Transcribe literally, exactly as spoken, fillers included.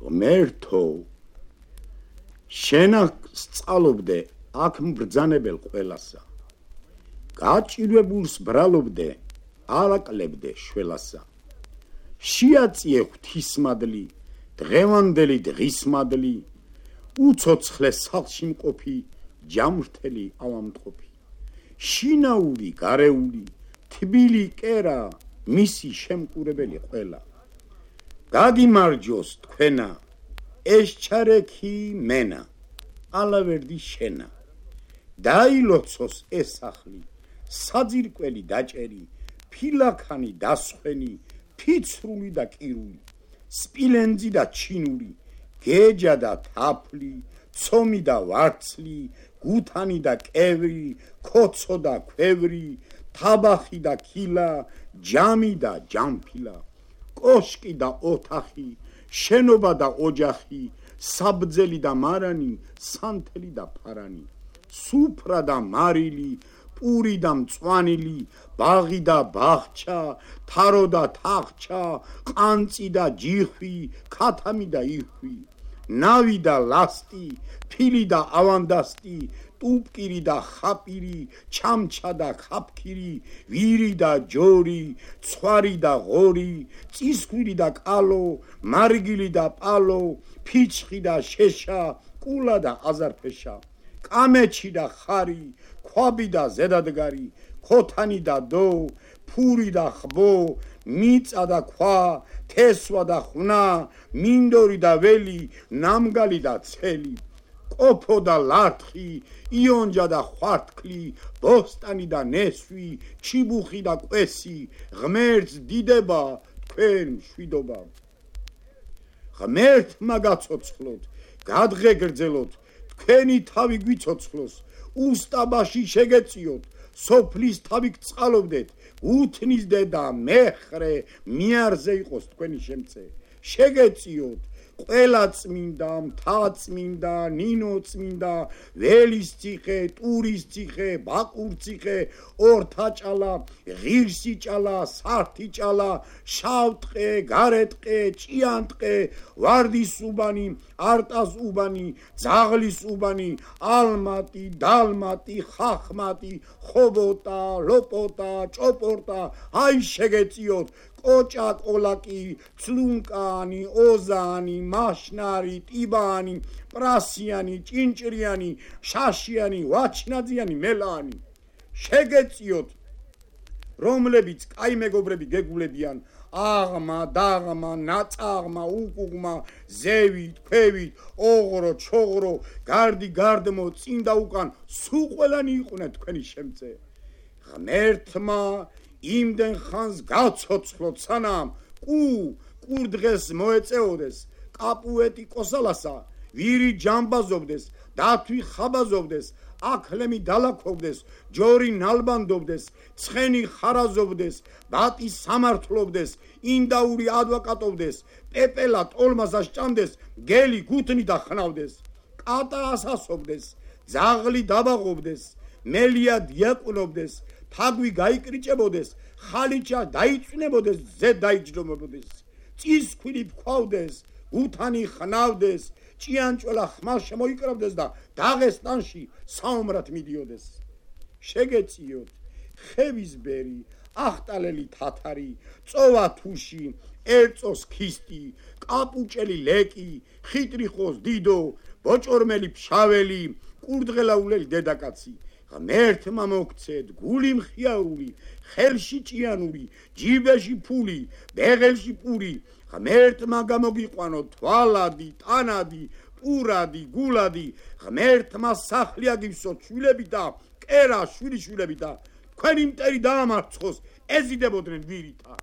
ღმერთო შენ სწავლობდე აქ მბრძანებელ ყველასა გაჭირვებულს ბრალობდე არაკლებდე შველასა შეაწიე ღვთისმადლი დღევანდელი დღისმადლი უცოცხლე სახლში მყოფი ჯამრთელი ავამტყოფი შინაური გარეული თბილი კერა მისი შემკურებელი ყველა გაგიმარჯოს თქვენა ეს ჩარექი მენა ალავერდი შენა დაილოცოს ეს სახლი საძირკველი დაჭერი ფილაქანი დასხვენი ფიცრული და კირული სპილენძი და ჩინური გეჯა და თაფლი ცომი და ვარცლი გუთანი და კევრი ქოცო და ქვევრი თაბახი და ქილა ჯამი და ჯამფილა კოშკი და ოთახი შენობა და ოჯახი საბძელი და მარანი სანთელი და ფარანი სუფრა და მარილი პური და მწვანილი ბაღი და ბაღჩა თარო და თახჩა ყანწი და ჯიხვი ქათამი და იხვი ნავი და ლასტი ფილი და ავანდასტი ტუპკირი და ხაპირი ჩამჩა და ხაფქირი ვირი და ჯორი ცხვარი და ღორი წისქვილი და კალო მარგილი და პალო ფიჩხი და შეშა კულა და აზარფეშა კამეჩი და ხარი ქვაბი და ზედადგარი ქოთანი და დო ფური და ხბო მიწა და ქვა თესვა და ხნა მინდორი და ველი ნამგალი და ცელი ყოფო და ლართხი იონჯა და ხვართქლი ბოსტანი და ნესვი ჩიბუხი და კვესი ღმერთს დიდება თქვენ მშვიდობა ღმერთმა გაცოცხლოთ გადღეგრძელოთ თქვენი თავი გვიცოცხლოს უსტაბაში შეგეწიოთ სოფლის თავი გწყალობდეთ უთნის დედა მეხრე მიარზე იყოს თქვენი შემწე შეგეწიოთ ყველა წმინდა მთაწმინდა ნინო წმინდა ველის ციხე ტურის ციხე ბაყურ ციხე ორთაჭალა ღირსი ჭალა სართი ჭალა შავტყე გარეტყე ჭიანტყე ვარდის უბანი არტას უბანი ძაღლის უბანი ალმატი დალმატი ხახმატი ხობოტა ლოპოტა ჭოპორტა აი შეგეწიოთ კოჭა კოლაკი ცლუნკანი ოზანი მაშნარი ტიბანი პრასიანი ჭინჭრიანი შაშიანი ვაჩნაძიანი მელანი შეგეწიოთ რომლებიც კაი მეგობრები გეგულებიან აღმა დაღმა ნაწაღმა უკუღმა ზევით ქვევით ოღრო ჩოღრო გარდი გარდმო წინ და უკან სულ ყველანი იყვნენ თქვენი შემწე ღმერთმა იმდენ ხანს გაცოცხლოთ სანამ კუ კურდღეს მოეწეოდეს კაპუეტი კოსალასა ვირი ჯამბაზობდეს დათვი ხაბაზობდეს აქლემი დალაქოვდეს ჯორი ნალბანდობდეს ცხენი ხარაზობდეს ბატი სამართლობდეს ინდაური ადვოკატობდეს პეპელა ტოლმასა სჭამდეს გელი გუთნი და ხნავდეს კატა ასასობდეს ძაღლი დაბაღობდეს მელია დიაკვნობდეს თაგვი გაიკრიჭებოდეს ხალიჩა დაიწვნებოდეს ზე დაიჯდომებოდეს წისქვილი ფქვავდეს გუთანი ხნავდეს ჭიანჭველა ხმალ შემოიკრავდეს და დაღესტანში საომრად მიდიოდეს შეგეწიოთ ხევისბერი ახტალელი თათარი წოვა თუში ერწოს ქისტი კაპუჭელი ლეკი ხიტრიხოს დიდო ბოჭორმელი ფშაველი კურდღელაულელი დედაკაცი ღმერთმა მოგცეთ გული მხიარული ხელში ჭიანური ჯიბეში ფული ბეღელში პური ღმერთმა გამოგიყვანო თვალადი ტანადი პურადი გულადი ღმერთმა სახლი აგივსო შვილებით და კერა შვილიშვილებით და თქვენი მტერი დაამარცხოს ეზიდებოდნენ ვირითა